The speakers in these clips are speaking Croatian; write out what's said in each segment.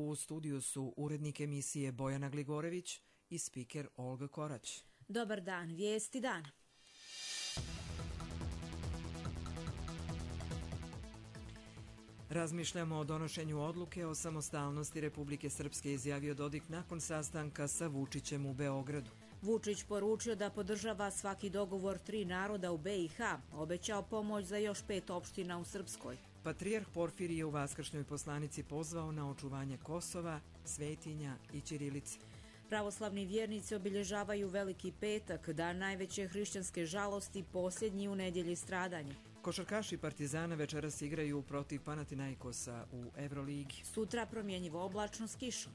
U studiju su urednik emisije Bojana Gligorević i spiker Olga Korać. Dobar dan, vijesti dana. Razmišljamo o donošenju odluke o samostalnosti Republike Srpske, izjavio Dodik nakon sastanka sa Vučićem u Beogradu. Vučić poručio da podržava svaki dogovor 3 naroda u BiH, obećao pomoć za još 5 opština u Srpskoj. Patrijarh Porfirije u vaskršnjoj poslanici pozvao na očuvanje Kosova, svetinja i ćirilice. Pravoslavni vjernici obilježavaju Veliki petak, dan najveće hrišćanske žalosti, posljednji u nedjelji stradanja. Košarkaši Partizana večeras igraju protiv Panathinaikosa u Evroligi. Sutra promjenjivo oblačno s kišom.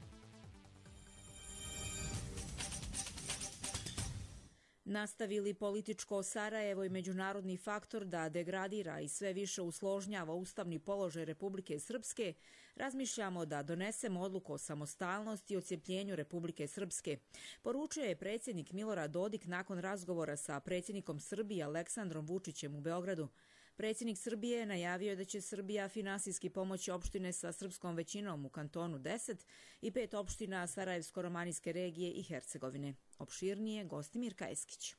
Nastavili političko Sarajevo i međunarodni faktor da degradira i sve više usložnjava ustavni položaj Republike Srpske, razmišljamo da donesemo odluku o samostalnosti i odcijepljenju Republike Srpske, poručio je predsjednik Milorad Dodik nakon razgovora sa predsjednikom Srbije Aleksandrom Vučićem u Beogradu. Predsjednik Srbije je najavio da će Srbija finansijski pomoći opštine sa srpskom većinom u kantonu 10 i 5 opština Sarajevsko-romanijske regije i Hercegovine. Opširnije Gostimir Kajskić.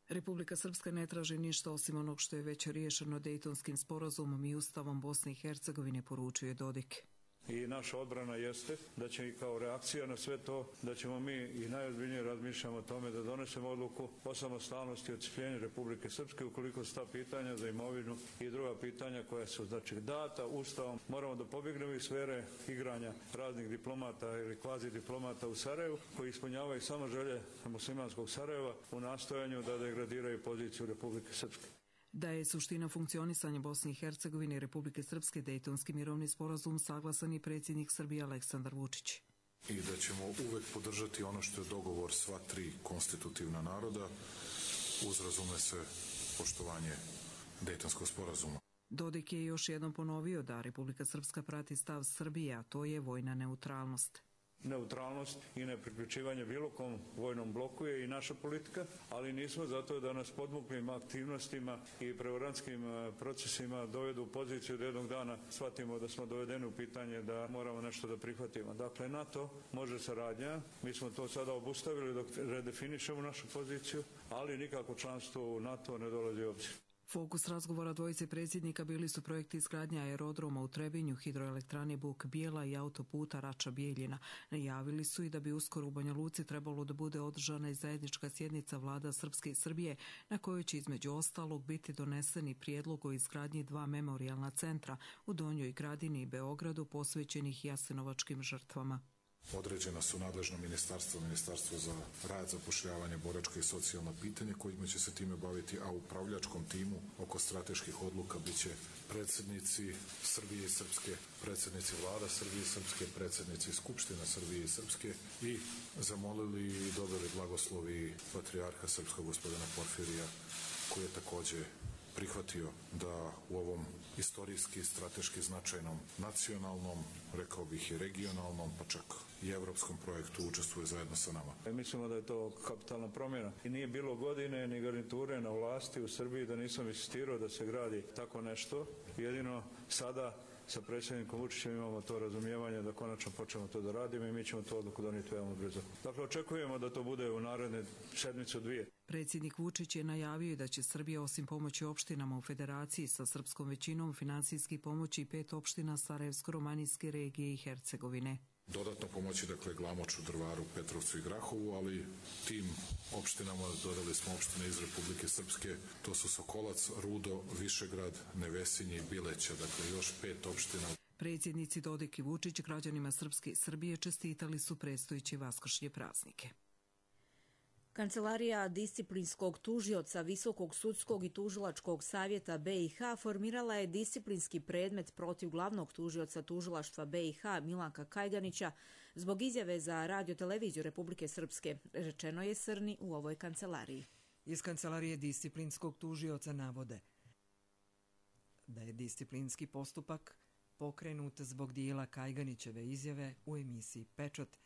Republika Srpska ne traži ništa osim onog što je već riješeno Dejtonskim sporazumom i Ustavom Bosne i Hercegovine, poručuje Dodik. I naša odbrana jeste da će i kao reakcija na sve to, da ćemo mi i najozbiljnije razmišljamo o tome da donesemo odluku o samostalnosti i odcijepljenju Republike Srpske ukoliko su ta pitanja za imovinu i druga pitanja koja su data Ustavom. Moramo da pobjegnemo iz sfere igranja raznih diplomata ili kvazi diplomata u Sarajevu koji ispunjavaju samo želje muslimanskog Sarajeva u nastojanju da degradiraju poziciju Republike Srpske. Da je suština funkcionisanja Bosne i Hercegovine i Republike Srpske Dejtonski mirovni sporazum, saglasan i predsjednik Srbije Aleksandar Vučić. I da ćemo uvek podržati ono što je dogovor sva 3 konstitutivna naroda, uz razume se poštovanje Dejtonskog sporazuma. Dodik je još jednom ponovio da Republika Srpska prati stav Srbije, a to je vojna neutralnost. Neutralnost i nepriključivanje bilo kom vojnom bloku je i naša politika, ali nismo zato da nas podmuklim aktivnostima i prevarantskim procesima dovedu u poziciju da jednog dana shvatimo da smo dovedeni u pitanje da moramo nešto da prihvatimo. Dakle, NATO može saradnja, mi smo to sada obustavili dok redefinišemo našu poziciju, ali nikako članstvo u NATO ne dolazi u obzir. Fokus razgovora dvojice predsjednika bili su projekti izgradnje aerodroma u Trebinju, hidroelektrane Buk Bijela i autoputa Rača-Bijeljina. Najavili su i da bi uskoro u Banja Luci trebalo da bude održana i zajednička sjednica vlada Srpske i Srbije, na kojoj će između ostalog biti doneseni prijedlog o izgradnji 2 memorijalna centra u Donjoj Gradini i Beogradu posvećenih jasenovačkim žrtvama. Određena su nadležno ministarstvo za rad, zapošljavanje, boračka i socijalna pitanja kojima će se time baviti, a u upravljačkom timu oko strateških odluka biće predsjednici Srbije i Srpske, predsjednici vlada Srbije i Srpske, predsjednici Skupština Srbije i Srpske i zamolili i dobili blagoslovi patrijarha srpskog gospodina Porfirija, koji je također prihvatio da u ovom istorijski, strateški značajnom, nacionalnom, rekao bih i regionalnom, pa čak i evropskom projektu učestvuje zajedno sa nama. Mislimo da je to kapitalna promjena i nije bilo godine ni garniture na vlasti u Srbiji da nisam insistirao da se gradi tako nešto. Jedino sada sa predsjednikom Vučićem imamo to razumijevanje da konačno počnemo to da radimo i mi ćemo to odluku donijeti veoma brzo. Dakle, očekujemo da to bude u naredne sedmicu 2. Predsjednik Vučić je najavio da će Srbija osim pomoći opštinama u federaciji sa srpskom većinom finansijski pomoći 5 opština Sarajevsko-romanijske regije i Hercegovine. Dodatno pomoći, dakle, Glamoču, Drvaru, Petrovcu i Grahovu, ali tim opštinama dodali smo opštine iz Republike Srpske, to su Sokolac, Rudo, Višegrad, Nevesinje i Bileća, dakle još 5 opština. Predsjednici Dodik i Vučić građanima Srpske i Srbije čestitali su predstojeće vaskršnje praznike. Kancelarija disciplinskog tužioca Visokog sudskog i tužilačkog savjeta BiH formirala je disciplinski predmet protiv glavnog tužioca tužilaštva BiH Milanka Kajganića zbog izjave za radio-televiziju Republike Srpske, rečeno je Srni u ovoj kancelariji. Iz kancelarije disciplinskog tužioca navode da je disciplinski postupak pokrenut zbog dijela Kajganićeve izjave u emisiji Pečat,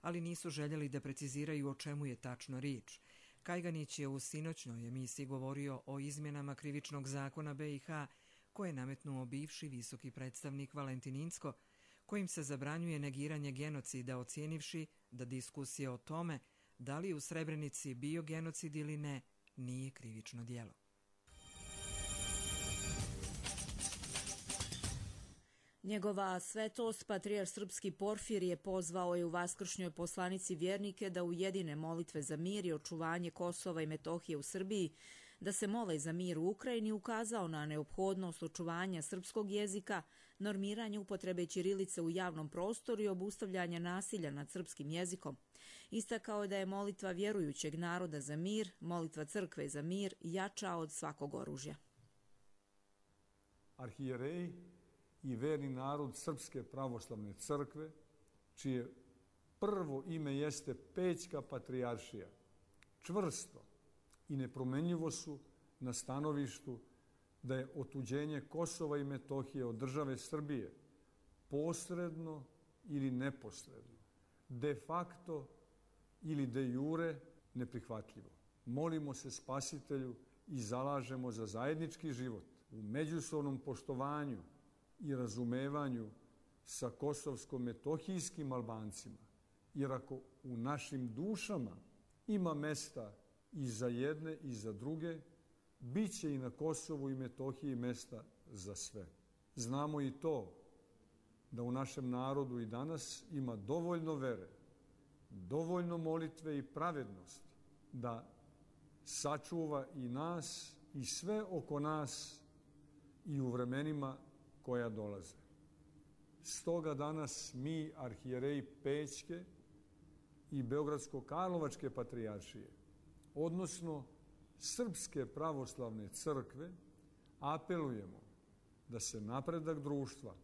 ali nisu željeli da preciziraju o čemu je tačno riječ. Kajganić je u sinoćnoj emisiji govorio o izmjenama krivičnog zakona BiH koje je nametnuo bivši visoki predstavnik Valentin Incko, kojim se zabranjuje negiranje genocida, ocijenivši da diskusija o tome da li u Srebrenici bio genocid ili ne nije krivično djelo. Njegova svetost, patrijarh srpski Porfirije, pozvao je u vaskršnjoj poslanici vjernike da ujedine molitve za mir i očuvanje Kosova i Metohije u Srbiji, da se mole za mir u Ukrajini, ukazao na neophodnost očuvanja srpskog jezika, normiranje upotrebe ćirilice u javnom prostoru i obustavljanja nasilja nad srpskim jezikom. Istakao je da je molitva vjerujućeg naroda za mir, molitva crkve za mir, jača od svakog oružja. Arhijereji i verni narod Srpske pravoslavne crkve, čije prvo ime jeste Pećka patrijaršija, čvrsto i nepromenljivo su na stanovištu da je otuđenje Kosova i Metohije od države Srbije posredno ili neposredno, de facto ili de jure neprihvatljivo. Molimo se Spasitelju i zalažemo za zajednički život u međusobnom poštovanju i razumevanju sa kosovsko-metohijskim Albancima, jer ako u našim dušama ima mesta i za jedne i za druge, bit će i na Kosovu i Metohiji mesta za sve. Znamo i to da u našem narodu i danas ima dovoljno vere, dovoljno molitve i pravednosti da sačuva i nas i sve oko nas i u vremenima koja dolaze. Stoga danas mi, arhijereji Pećke i Beogradsko-Karlovačke patrijaršije, odnosno Srpske pravoslavne crkve, apelujemo da se napredak društva,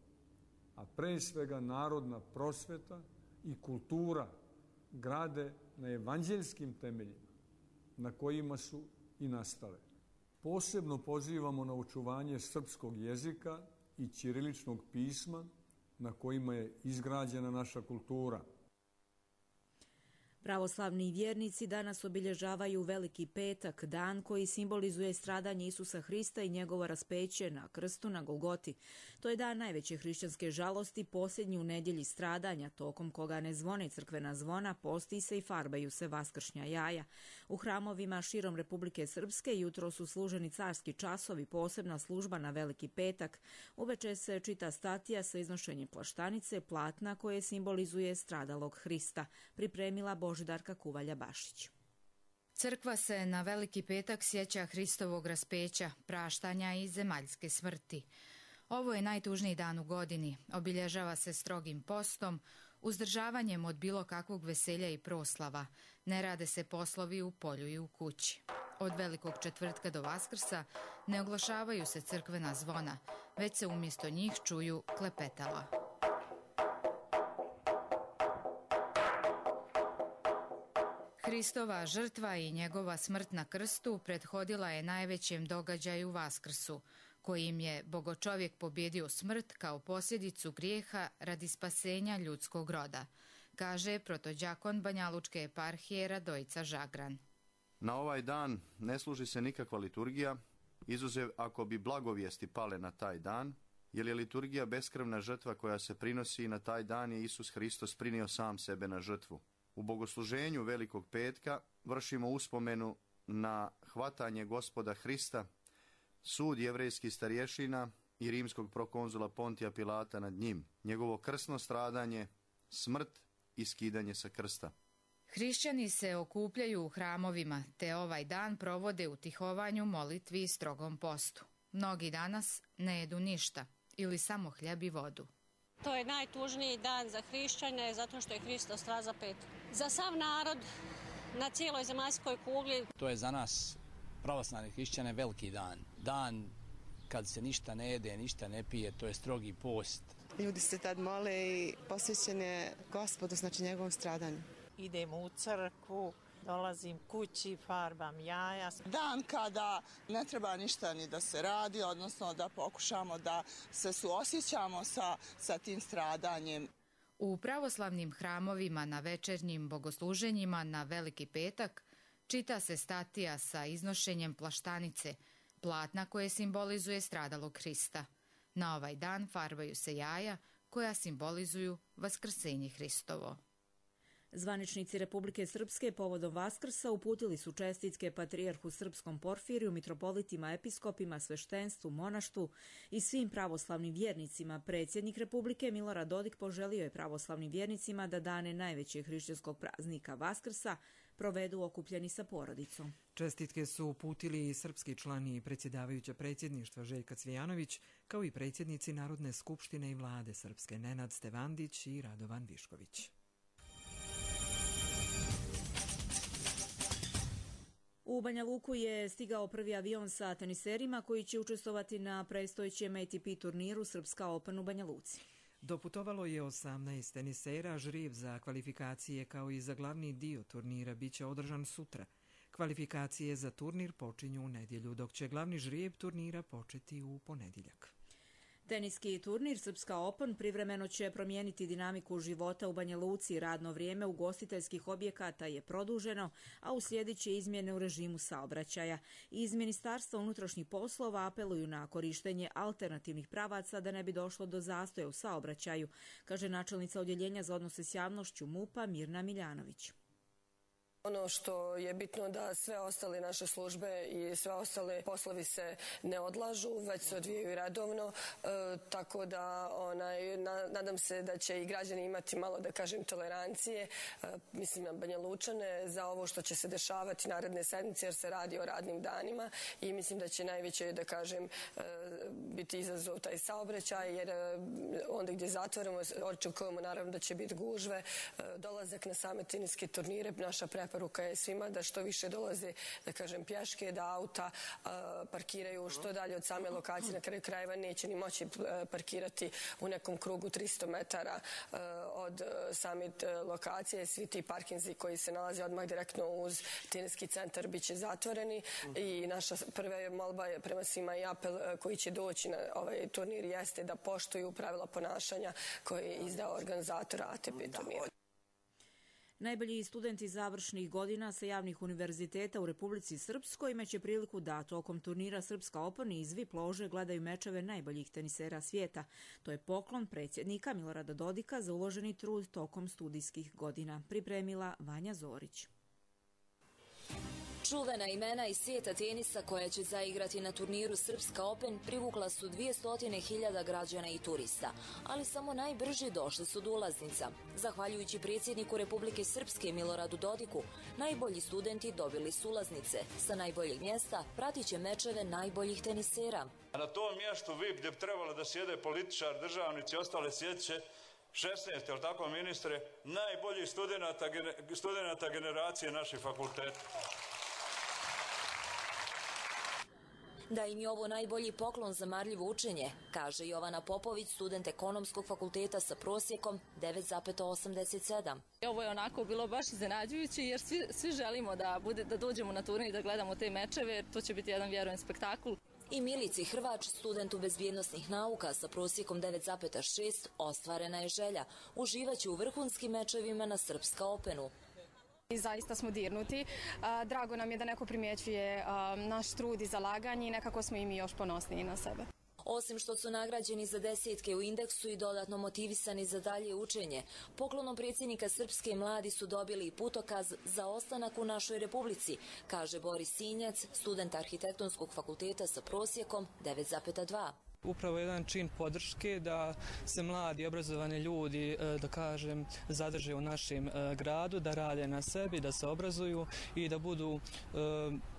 a pre svega narodna prosveta i kultura grade na evanđeljskim temeljima na kojima su i nastale. Posebno pozivamo na očuvanje srpskog jezika i ćiriličnog pisma na kojima je izgrađena naša kultura. Pravoslavni vjernici danas obilježavaju Veliki petak, dan koji simbolizuje stradanje Isusa Hrista i njegovo raspeće na krstu na Golgoti. To je dan najveće hrišćanske žalosti, posljednji u nedjelji stradanja, tokom koga ne zvone crkvena zvona, posti se i farbaju se vaskršnja jaja. U hramovima širom Republike Srpske jutro su služeni carski časovi, posebna služba na Veliki petak. Uveče se čita statija sa iznošenjem plaštanice, platna koje simbolizuje stradalog Hrista. Pripremila Božidarka Kuvalja-Bašić. Crkva se na Veliki petak sjeća Hristovog raspeća, praštanja i zemaljske smrti. Ovo je najtužniji dan u godini. Obilježava se strogim postom, uzdržavanjem od bilo kakvog veselja i proslava. Ne rade se poslovi u polju i u kući. Od Velikog četvrtka do Vaskrsa ne oglašavaju se crkvena zvona, već se umjesto njih čuju klepetala. Hristova žrtva i njegova smrt na krstu prethodila je najvećem događaju Vaskrsu, kojim je Bogočovjek pobjedio smrt kao posljedicu grijeha radi spasenja ljudskog roda, kaže protođakon Banjalučke eparhije Radojica Žagran. Na ovaj dan ne služi se nikakva liturgija, izuzev ako bi blagovijesti pale na taj dan, jer je liturgija beskrvna žrtva koja se prinosi i na taj dan je Isus Hristos prinio sam sebe na žrtvu. U bogosluženju Velikog petka vršimo uspomenu na hvatanje Gospoda Hrista, sud jevrejskih starješina i rimskog prokonzula Pontija Pilata nad njim, njegovo krsno stradanje, smrt i skidanje sa krsta. Hrišćani se okupljaju u hramovima, te ovaj dan provode u tihovanju, molitvi i strogom postu. Mnogi danas ne jedu ništa ili samo hljeb i vodu. To je najtužniji dan za hrišćane zato što je Hristos razapet. Za sav narod na cijeloj zemaljskoj kugli. To je za nas pravoslavne hrišćane veliki dan. Dan kad se ništa ne jede, ništa ne pije, to je strogi post. Ljudi se tad mole i posvećene Gospodu, znači njegovom stradanju. Idem u crkvu, dolazim kući, farbam jaja. Dan kada ne treba ništa ni da se radi, odnosno da pokušamo da se suosjećamo sa tim stradanjem. U pravoslavnim hramovima na večernjim bogosluženjima na Veliki petak čita se statija sa iznošenjem plaštanice, platna koje simbolizuje stradalog Hrista. Na ovaj dan farbaju se jaja koja simbolizuju vaskrsenje Hristovo. Zvaničnici Republike Srpske povodom Vaskrsa uputili su čestitke patrijarhu srpskom Porfiriju, mitropolitima, episkopima, sveštenstvu, monaštvu i svim pravoslavnim vjernicima. Predsjednik Republike Milorad Dodik poželio je pravoslavnim vjernicima da dane najvećeg hrišćanskog praznika Vaskrsa provedu okupljeni sa porodicom. Čestitke su uputili i srpski člani i predsjedavajuća predsjedništva Željka Cvijanović, kao i predsjednici Narodne skupštine i vlade Srpske Nenad Stevandić i Radovan Višković. U Banja Luku je stigao prvi avion sa teniserima koji će učestvovati na predstojećem ATP turniru Srpska Open u Banja Luci. Doputovalo je 18 tenisera, žrijeb za kvalifikacije kao i za glavni dio turnira biće održan sutra. Kvalifikacije za turnir počinju u nedjelju, dok će glavni žrijeb turnira početi u ponedjeljak. Teniski turnir Srpska Open privremeno će promijeniti dinamiku života u Banja Luci. Radno vrijeme ugostiteljskih objekata je produženo, a uslijedit će izmjene u režimu saobraćaja. Iz Ministarstva unutrašnjih poslova apeluju na korištenje alternativnih pravaca da ne bi došlo do zastoja u saobraćaju, kaže načelnica odjeljenja za odnose s javnošću MUP-a Mirna Miljanović. Ono što je bitno da sve ostale naše službe i sve ostale poslovi se ne odlažu, već se odvijaju redovno, tako da nadam se da će i građani imati malo, da kažem, tolerancije, mislim na Banja Lučane, za ovo što će se dešavati naredne sedmice, jer se radi o radnim danima i mislim da će najveće, da kažem, biti izazov taj saobraćaj, jer onda gdje zatvorimo, očekujemo naravno da će biti gužve, dolazak na same teniske turnire, naša preporuka je svima da što više dolaze, da kažem, pješke, da auta parkiraju što dalje od same lokacije. Na kraju krajeva neće ni moći parkirati u nekom krugu 300 metara od same lokacije. Svi ti parkinzi koji se nalaze odmah direktno uz teniski centar bit će zatvoreni i naša prva molba je prema svima i apel koji će doći na ovaj turnir jeste da poštuju pravila ponašanja koje je izdao organizator ATP turnira. Najbolji studenti završnih godina sa javnih univerziteta u Republici Srpskoj imaće priliku da tokom turnira Srpska Open iz VIP lože gledaju mečeve najboljih tenisera svijeta. To je poklon predsjednika Milorada Dodika za uloženi trud tokom studijskih godina. Pripremila Vanja Zorić. Čuvena imena iz svijeta tenisa koja će zaigrati na turniru Srpska Open privukla su 200.000 građana i turista, ali samo najbrži došli su do ulaznica. Zahvaljujući predsjedniku Republike Srpske Miloradu Dodiku, najbolji studenti dobili su ulaznice. Sa najboljeg mjesta pratit će mečeve najboljih tenisera. A na tom mjestu VIP gdje bi trebalo da sjede političar, državnici i ostale sjedeće 16, jel tako ministre, najboljih studenata generacije naših fakulteta. Da im je ovo najbolji poklon za marljivo učenje, kaže Jovana Popović, student ekonomskog fakulteta sa prosjekom 9,87. Ovo je onako bilo baš iznenađujuće jer svi želimo da dođemo na turnir i da gledamo te mečeve, jer to će biti jedan, vjerujem, spektakl. I Milici Hrvač, studentu bezbjednosnih nauka sa prosjekom 9,6, ostvarena je želja. Uživaće u vrhunskim mečevima na Srpska Openu. I zaista smo dirnuti. Drago nam je da neko primjećuje naš trud i zalaganje i nekako smo i mi još ponosniji na sebe. Osim što su nagrađeni za desetke u indeksu i dodatno motivisani za dalje učenje, poklonom predsjednika Srpske mladi su dobili i putokaz za ostanak u našoj Republici, kaže Boris Sinjac, student arhitektonskog fakulteta sa prosjekom 9,2. Upravo jedan čin podrške da se mladi obrazovani ljudi, da kažem, zadrže u našem gradu, da rade na sebi, da se obrazuju i da budu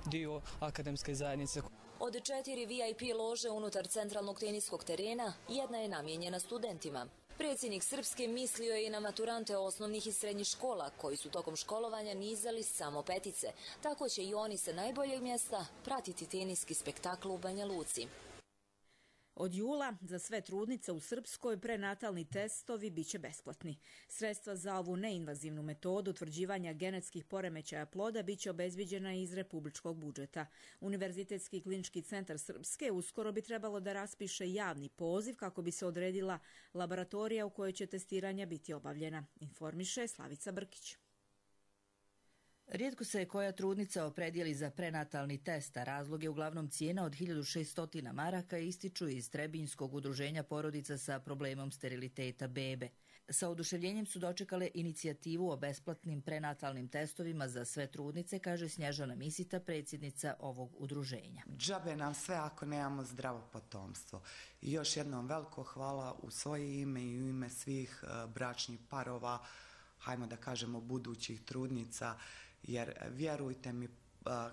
dio akademske zajednice. Od 4 VIP lože unutar centralnog teniskog terena, jedna je namijenjena studentima. Predsjednik Srpske mislio je i na maturante osnovnih i srednjih škola, koji su tokom školovanja nizali samo petice. Tako će i oni sa najboljeg mjesta pratiti teniski spektakl u Banja Luci. Od jula za sve trudnice u Srpskoj prenatalni testovi biće besplatni. Sredstva za ovu neinvazivnu metodu utvrđivanja genetskih poremećaja ploda biće obezviđena iz republičkog budžeta. Univerzitetski klinički centar Srpske uskoro bi trebalo da raspiše javni poziv kako bi se odredila laboratorija u kojoj će testiranja biti obavljena, informiše Slavica Brkić. Rijetko se koja trudnica opredijeli za prenatalni test, a razlog je uglavnom cijena od 1600 maraka, ističu iz Trebinjskog udruženja porodica sa problemom steriliteta bebe. Sa oduševljenjem su dočekale inicijativu o besplatnim prenatalnim testovima za sve trudnice, kaže Snježana Misita, predsjednica ovog udruženja. Džabe nam sve ako nemamo zdravo potomstvo. I još jednom veliko hvala u svoje ime i u ime svih bračnih parova, hajmo da kažemo budućih trudnica, jer vjerujte mi,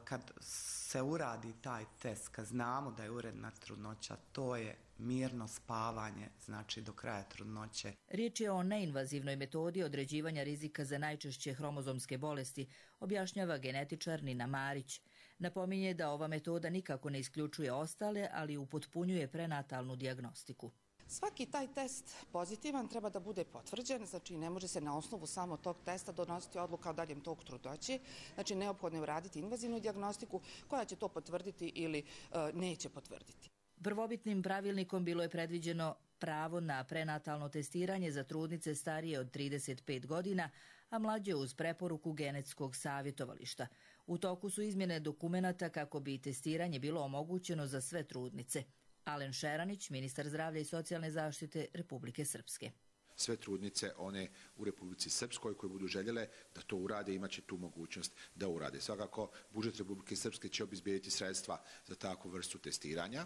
kad se uradi taj test, kad znamo da je uredna trudnoća, to je mirno spavanje, znači do kraja trudnoće. Riječ je o neinvazivnoj metodi određivanja rizika za najčešće hromozomske bolesti, objašnjava genetičar Nina Marić. Napominje da ova metoda nikako ne isključuje ostale, ali upotpunjuje prenatalnu dijagnostiku. Svaki taj test pozitivan treba da bude potvrđen, znači ne može se na osnovu samo tog testa donositi odluka o daljem toku trudnoće, znači neophodno je uraditi invazivnu dijagnostiku koja će to potvrditi ili neće potvrditi. Prvobitnim pravilnikom bilo je predviđeno pravo na prenatalno testiranje za trudnice starije od 35 godina, a mlađe uz preporuku genetskog savjetovališta. U toku su izmjene dokumenata kako bi testiranje bilo omogućeno za sve trudnice. Alen Šeranić, ministar zdravlja i socijalne zaštite Republike Srpske. Sve trudnice, one u Republici Srpskoj koje budu željele da to urade, imaće tu mogućnost da urade. Svakako, budžet Republike Srpske će obezbijediti sredstva za takvu vrstu testiranja.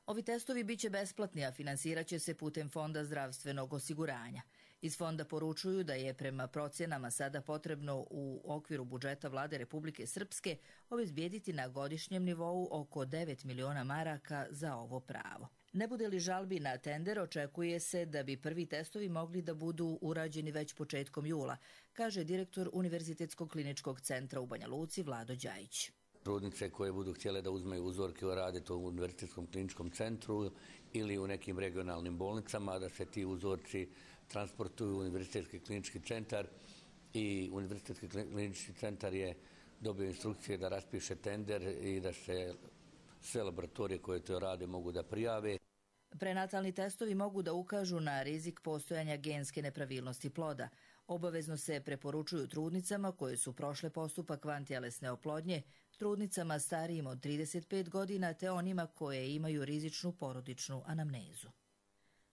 Ovi testovi biće besplatni, a finansirat će se putem Fonda zdravstvenog osiguranja. Iz fonda poručuju da je prema procjenama sada potrebno u okviru budžeta vlade Republike Srpske obezbijediti na godišnjem nivou oko 9 miliona maraka za ovo pravo. Ne bude li žalbi na tender, očekuje se da bi prvi testovi mogli da budu urađeni već početkom jula, kaže direktor Univerzitetskog kliničkog centra u Banja Luci Vlado Đajić. Trudnice koje budu htjele da uzmeju uzorke i rade to u Univerzitetskom kliničkom centru ili u nekim regionalnim bolnicama, da se ti uzorci transportuju u Univerzitetski klinički centar i Univerzitetski klinički centar je dobio instrukcije da raspiše tender i da se sve laboratorije koje to rade mogu da prijave. Prenatalni testovi mogu da ukažu na rizik postojanja genske nepravilnosti ploda. Obavezno se preporučuju trudnicama koje su prošle postupak vantjelesne oplodnje, trudnicama starijim od 35 godina te onima koje imaju rizičnu porodičnu anamnezu.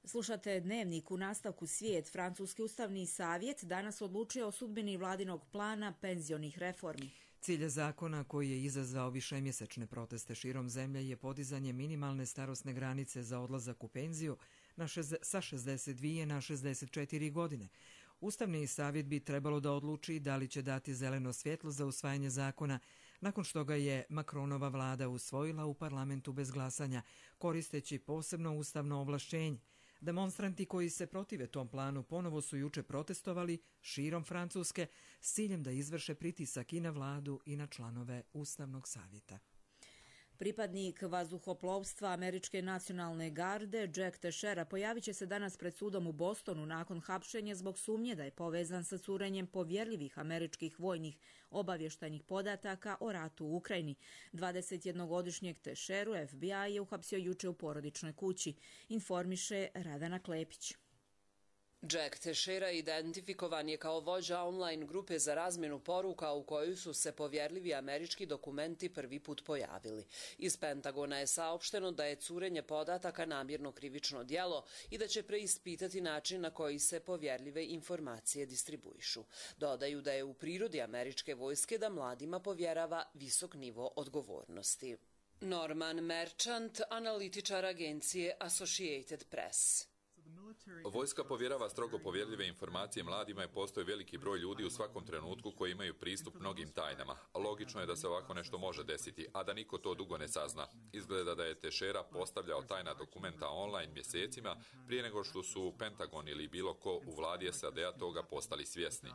Slušate Dnevnik. U nastavku Svijet. Francuski ustavni savjet danas odlučio o sudbini vladinog plana penzionih reformi. Cilj zakona koji je izazvao višemjesečne proteste širom zemlje je podizanje minimalne starosne granice za odlazak u penziju sa 62 na 64 godine. Ustavni savjet bi trebalo da odluči da li će dati zeleno svjetlo za usvajanje zakona nakon što ga je Macronova vlada usvojila u parlamentu bez glasanja, koristeći posebno ustavno ovlašćenje. Demonstranti koji se protive tom planu ponovo su juče protestovali širom Francuske s ciljem da izvrše pritisak i na vladu i na članove Ustavnog savjeta. Pripadnik vazduhoplovstva Američke nacionalne garde Jack Teixeira pojavit će se danas pred sudom u Bostonu nakon hapšenja zbog sumnje da je povezan sa curenjem povjerljivih američkih vojnih obavještajnih podataka o ratu u Ukrajini. 21-godišnjeg Teixeiru FBI je uhapsio juče u porodičnoj kući, informiše Radana Klepić. Jack Teixeira identifikovan je kao vođa online grupe za razmjenu poruka u kojoj su se povjerljivi američki dokumenti prvi put pojavili. Iz Pentagona je saopšteno da je curenje podataka namjerno krivično djelo i da će preispitati način na koji se povjerljive informacije distribuišu. Dodaju da je u prirodi američke vojske da mladima povjerava visok nivo odgovornosti. Norman Merchant, analitičar agencije Associated Press. Vojska povjerava strogo povjerljive informacije mladima i postoji veliki broj ljudi u svakom trenutku koji imaju pristup mnogim tajnama. Logično je da se ovako nešto može desiti, a da niko to dugo ne sazna. Izgleda da je Teixeira postavljao tajna dokumenta online mjesecima prije nego što su Pentagon ili bilo ko u vladi SAD-a toga postali svjesni.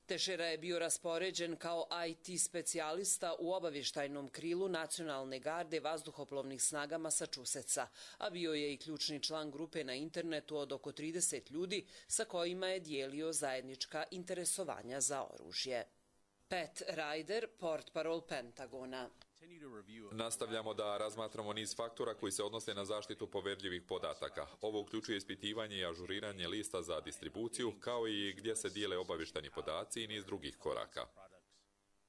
Teixeira je bio raspoređen kao IT specijalista u obavještajnom krilu Nacionalne garde vazduhoplovnih snaga Massachusettsa, a bio je i ključni član grupe na internetu od oko 30 ljudi sa kojima je dijelio zajednička interesovanja za oružje. Pat Ryder, portparol Pentagona. Nastavljamo da razmatramo niz faktora koji se odnose na zaštitu povjerljivih podataka. Ovo uključuje ispitivanje i ažuriranje lista za distribuciju, kao i gdje se dijele obavještajni podaci i niz drugih koraka.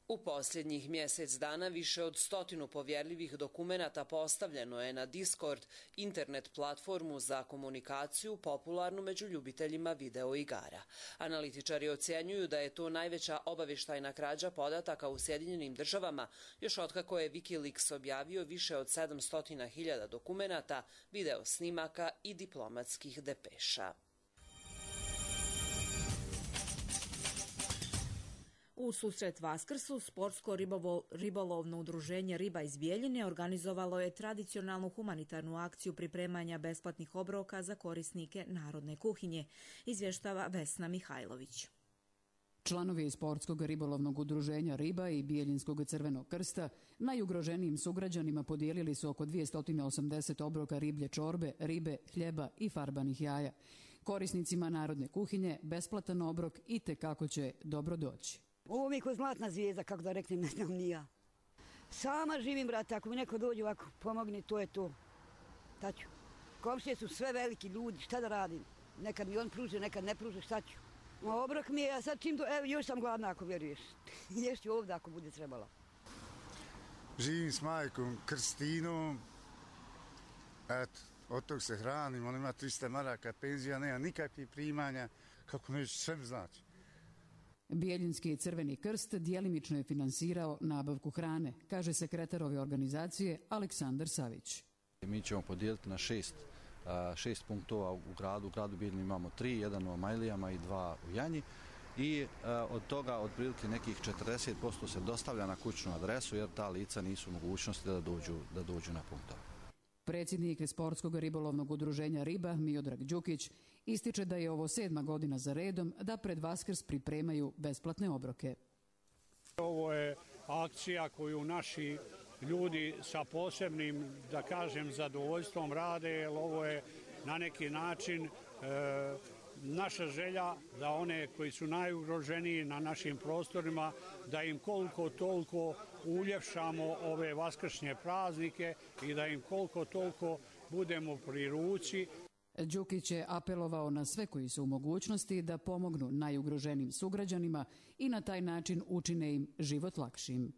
U posljednjih mjesec dana više od 100 povjerljivih dokumenata postavljeno je na Discord, internet platformu za komunikaciju popularnu među ljubiteljima videoigara. Analitičari ocjenjuju da je to najveća obavještajna krađa podataka u Sjedinjenim Državama, još otkako je Wikileaks objavio više od 700.000 dokumenata, video snimaka i diplomatskih depeša. U susret Vaskrsu sportsko ribolovno udruženje Riba iz Bjeljine organizovalo je tradicionalnu humanitarnu akciju pripremanja besplatnih obroka za korisnike narodne kuhinje, izvještava Vesna Mihajlović. Članovi sportskog ribolovnog udruženja Riba i Bijeljinskog Crvenog krsta najugroženijim sugrađanima podijelili su oko 280 obroka riblje čorbe, ribe, hljeba i farbanih jaja. Korisnicima narodne kuhinje besplatan obrok i tekako će dobro doći. Ovo mi je kao zlatna zvijezda, kako da reknem, ne znam ni ja. Sama živim, brate, ako mi neko dođe ovako, pomogni, to je to. Taću. Komšije su sve veliki ljudi, šta da radim? Nekad mi on pruže, nekad ne pruže, šta ću? Obrok mi je, a sad čim evo, još sam gladna ako vjeruješ. Ješću ovdje ako bude trebala. Živim s majkom Krstinom, eto, od tog se hranim, on ima 300 maraka penzija, nema nikakvih primanja, kako neće, sve mi znači. Bijeljinski Crveni krst djelimično je finansirao nabavku hrane, kaže sekretar ove organizacije Aleksandar Savić. Mi ćemo podijeliti na 6 punktova u gradu. U gradu Bijeljini imamo 3, jedan u Majlijama i 2 u Janji. I od toga otprilike nekih 40% se dostavlja na kućnu adresu jer ta lica nisu u mogućnosti da dođu na punktove. Predsjednik sportskog ribolovnog udruženja Riba Miodrag Đukić ističe da je ovo 7. godina za redom da pred Vaskrs pripremaju besplatne obroke. Ovo je akcija koju naši ljudi sa posebnim, da kažem, zadovoljstvom rade, jer ovo je na neki način naša želja da one koji su najugroženiji na našim prostorima, da im koliko toliko uljepšamo ove vaskršnje praznike i da im koliko toliko budemo pri ruci. Đukić je apelovao na sve koji su u mogućnosti da pomognu najugroženijim sugrađanima i na taj način učine im život lakšim.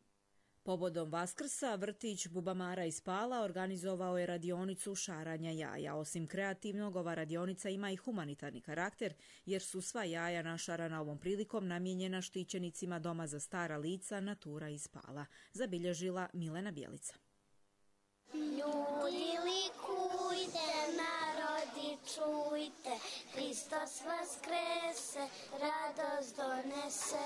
Povodom Vaskrsa, vrtić Bubamara iz Pala organizovao je radionicu šaranja jaja. Osim kreativnog, ova radionica ima i humanitarni karakter, jer su sva jaja našarana ovom prilikom namijenjena štićenicima Doma za stara lica Natura iz Pala, zabilježila Milena Bjelica. Ljudi likujte, narodi čujte, Hristos vaskrese, radost donese.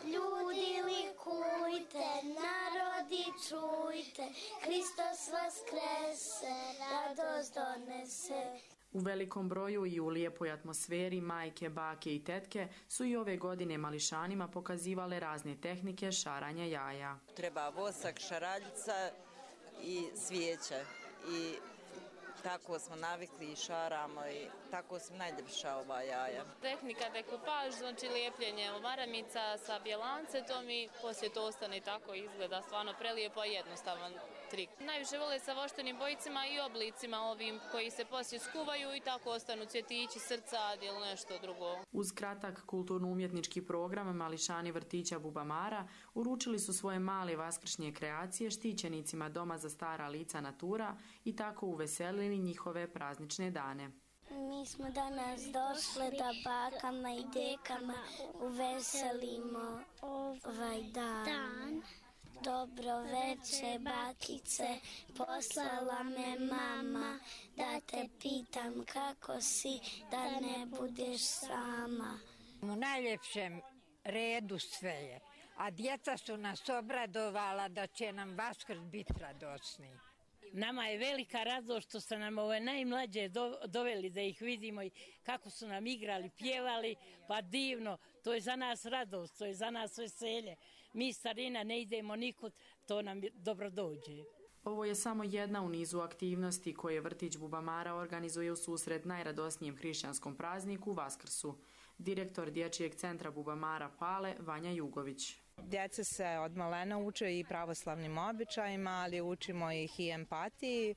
Ljudi likujte, narodi čujte, Hristos vaskrese, radost donese. U velikom broju i u lijepoj atmosferi majke, bake i tetke su i ove godine mališanima pokazivale razne tehnike šaranja jaja. Treba vosak, šaraljica i svijeće i tako smo navikli i šaramo i tako su najljepša ova jaja. Tehnika dekupaž, znači lijepljenje maramica sa bjelance, to mi poslije to ostane tako izgleda stvarno prelijepo i jednostavan trik. Najviše vole sa voštenim bojicima i oblicima ovim koji se poslije skuvaju i tako ostanu cvjetići, srca ili nešto drugo. Uz kratak kulturno-umjetnički program mališani vrtića Bubamara uručili su svoje male vaskršnje kreacije štićenicima Doma za stara lica Natura i tako uveselili njihove praznične dane. Mi smo danas došle da bakama i dekama uveselimo ovaj dan. Dobro veče, bakice, poslala me mama, da te pitam kako si, da ne budeš sama. U najljepšem redu sve je, a djeca su nas obradovala da će nam Vaskrs biti radosni. Nama je velika radost što su nam ove najmlađe doveli da ih vidimo i kako su nam igrali, pjevali, pa divno, to je za nas radost, to je za nas veselje. Mi starina ne idemo nikud, to nam dobro dođe. Ovo je samo jedna u nizu aktivnosti koje vrtić Bubamara organizuje u susret najradosnijem hrišćanskom prazniku Vaskrsu. Direktor Dječjeg centra Bubamara Pale, Vanja Jugović. Djeca se od malena uče i pravoslavnim običajima, ali učimo ih i empatiji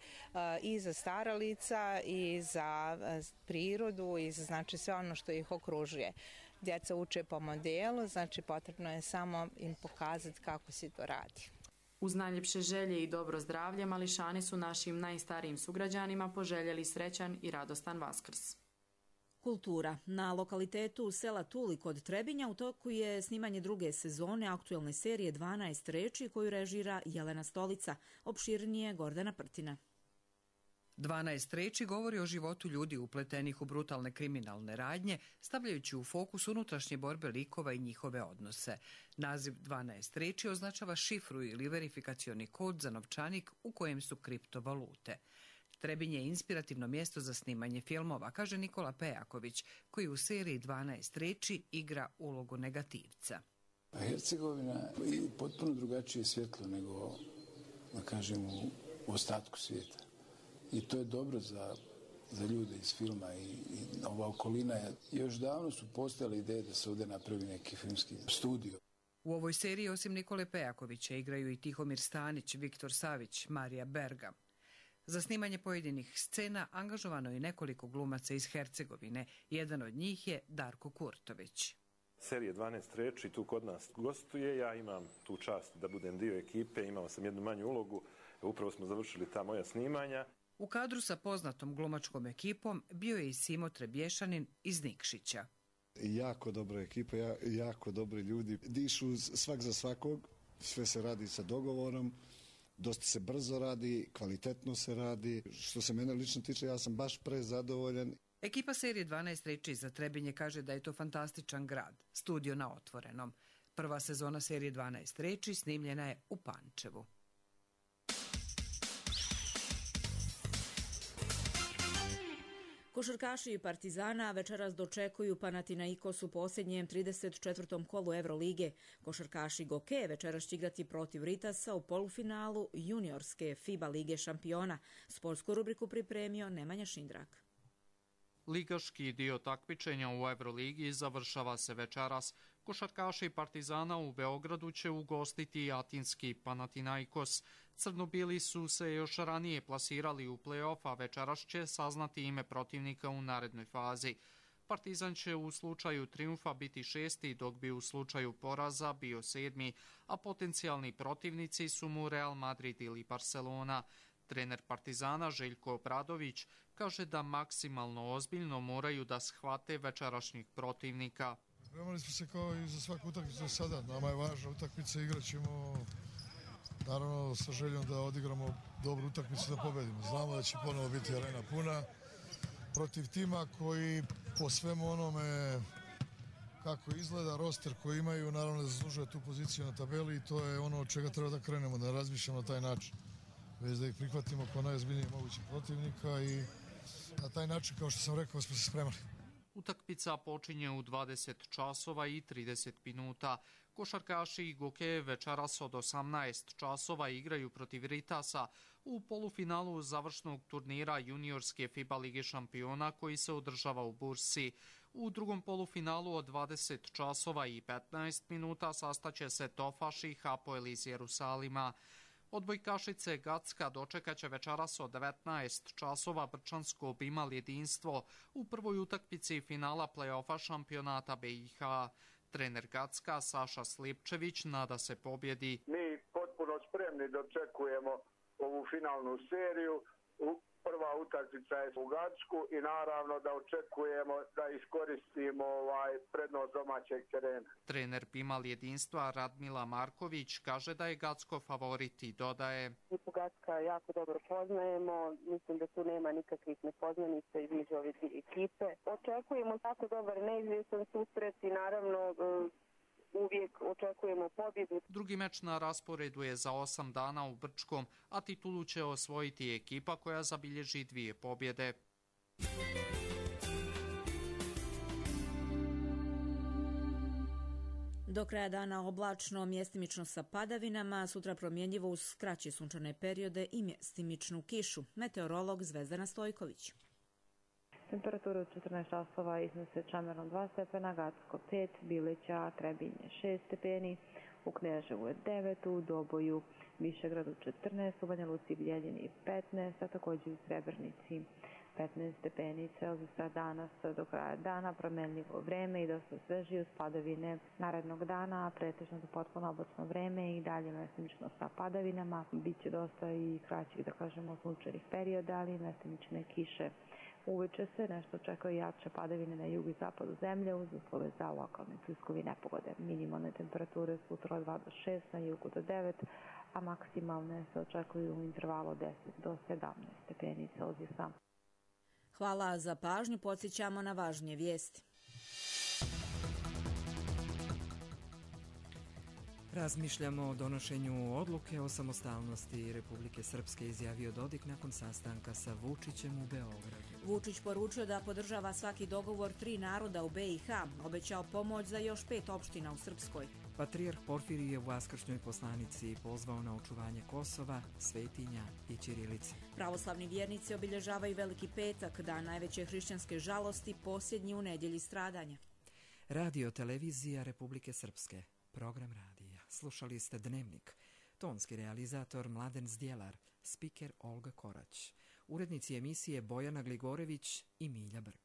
i za stara lica i za prirodu i za znači sve ono što ih okružuje. Djeca uče po modelu, znači potrebno je samo im pokazati kako se to radi. Uz najljepše želje i dobro zdravlje, mališani su našim najstarijim sugrađanima poželjeli srećan i radostan Vaskrs. Kultura. Na lokalitetu sela Tuli kod Trebinja u toku je snimanje druge sezone aktuelne serije 12 reči koju režira Jelena Stolica. Opširnije Gordana Prtina. 12 reči govori o životu ljudi upletenih u brutalne kriminalne radnje, stavljajući u fokus unutrašnje borbe likova i njihove odnose. Naziv 12 reči označava šifru ili verifikacioni kod za novčanik u kojem su kriptovalute. Trebinje je inspirativno mjesto za snimanje filmova, kaže Nikola Pejaković, koji u seriji 12 reči igra ulogu negativca. Hercegovina je potpuno drugačije svjetlo nego, da kažem, u ostatku svijeta. I to je dobro za ljude iz filma i ova okolina. Još davno su postojale ideje da se ovdje napravi neki filmski studio. U ovoj seriji osim Nikole Pejakovića igraju i Tihomir Stanić, Viktor Savić, Marija Berga. Za snimanje pojedinih scena angažovano je nekoliko glumaca iz Hercegovine. Jedan od njih je Darko Kurtović. Serija 12 reči tu kod nas gostuje. Ja imam tu čast da budem dio ekipe, imao sam jednu manju ulogu. Upravo smo završili ta moja snimanja. U kadru sa poznatom glumačkom ekipom bio je i Simo Trebješanin iz Nikšića. Jako dobra ekipa, jako dobri ljudi. Dišu svak za svakog, sve se radi sa dogovorom, dosta se brzo radi, kvalitetno se radi. Što se mene lično tiče, ja sam baš prezadovoljan. Ekipa serije 12 reči za Trebinje kaže da je to fantastičan grad, studio na otvorenom. Prva sezona serije 12 reči snimljena je u Pančevu. Košarkaši Partizana večeras dočekuju Panathinaikos u posljednjem 34. kolu Evrolige. Košarkaši Goke večeras će igrati protiv Ritasa u polufinalu juniorske FIBA lige šampiona. Sportsku rubriku pripremio Nemanja Šindrak. Ligaški dio takmičenja u Evroligi završava se večeras. Košarkaši Partizana u Beogradu će ugostiti atinski Panathinaikos. Crnobili su se još ranije plasirali u play-off, a večeras će saznati ime protivnika u narednoj fazi. Partizan će u slučaju triumfa biti 6. dok bi u slučaju poraza bio 7. a potencijalni protivnici su mu Real Madrid ili Barcelona. Trener Partizana Željko Obradović kaže da maksimalno ozbiljno moraju da shvate večerašnjih protivnika. Spremali smo se kao i za svaku utakmicu do sada. Nama je važna utakmica, igrat ćemo naravno sa željom da odigramo dobru utakmicu da pobedimo. Znamo da će ponovo biti arena puna protiv tima koji po svemu onome kako izgleda, roster koji imaju, naravno da zaslužuje tu poziciju na tabeli i to je ono od čega treba da krenemo, da razmišljamo na taj način. Već da ih prihvatimo kao najozbiljnije mogućih protivnika i na taj način, kao što sam rekao, smo se spremali. Utakmica počinje u 20 časova i 30 minuta. Košarkaši Goke večeras od 18 časova igraju protiv Ritasa u polufinalu završnog turnira juniorske FIBA lige šampiona koji se održava u Bursi. U drugom polufinalu od 20 časova i 15 minuta sastaće se Tofaš i Hapoel iz Jerusalima. Odbojkašice Gacka dočekaće večeras od 19 časova Brčansko Bimal jedinstvo u prvoj utakmici finala play-offa šampionata BiH. Trener Gacka Saša Slipčević nada se pobjedi. Mi potpuno spremni dočekujemo ovu finalnu seriju. Prva utakmica je u Gacku i naravno da očekujemo da iskoristimo prednost domaćeg terena. Trener Bimal jedinstva Radmila Marković kaže da je Gacko favorit i dodaje. Gacka jako dobro poznajemo, mislim da tu nema nikakvih nepoznanica između ove dvije ekipe. Očekujemo tako dobar neizvjestan susret i naravno uvijek očekujemo pobjedu. Drugi meč na rasporedu je za 8 dana u Brčkom, a titulu će osvojiti ekipa koja zabilježi 2 pobjede. Do kraja dana oblačno, mjestimično sa padavinama, sutra promjenjivo uz kraće sunčane periode i mjestimičnu kišu. Meteorolog Zvezdana Stojković. Temperatura od 14 časova iznose Čamerom 2 stepena, Gacko 5, Bileća, Trebinje 6 stepeni, u Kneževu je 9, u Doboju, Višegradu 14, u Banja Luci i Bijeljini 15, a također u Srebrnici 15 stepeni Celzijusa danas do kraja dana, promenljivo vreme i dosta sveži uz padavine narednog dana, pretežno do potpuno oblačno vreme i dalje mestimično sa padavinama. Biće dosta i kraćih, da kažemo, sunčanih perioda, ali mestimične kiše. Uveče se nešto očekuje jače padavine na jugu i zapadu zemlje uz uslove za lokalne pljuskovi nepogode. Minimalne temperature sutra od 2 do 6, na jugu do 9, a maksimalne se očekuju u intervalu 10 do 17 stepeni Celzijusa. Hvala za pažnju, podsjećamo na važnije vijesti. Razmišljamo o donošenju odluke o samostalnosti Republike Srpske, izjavio Dodik nakon sastanka sa Vučićem u Beogradu. Vučić poručio da podržava svaki dogovor 3 naroda u BiH, obećao pomoć za još 5 opština u Srpskoj. Patrijarh Porfirije u vaskršnjoj poslanici pozvao na očuvanje Kosova, svetinja i ćirilice. Pravoslavni vjernici obilježavaju Veliki petak, dan najveće hrišćanske žalosti, posljednji u nedjelji stradanja. Radio televizija Republike Srpske, program radija. Slušali ste Dnevnik. Tonski realizator Mladen Zdjelar, spiker Olga Korać. Urednici emisije Bojana Gligorević i Milja Brk.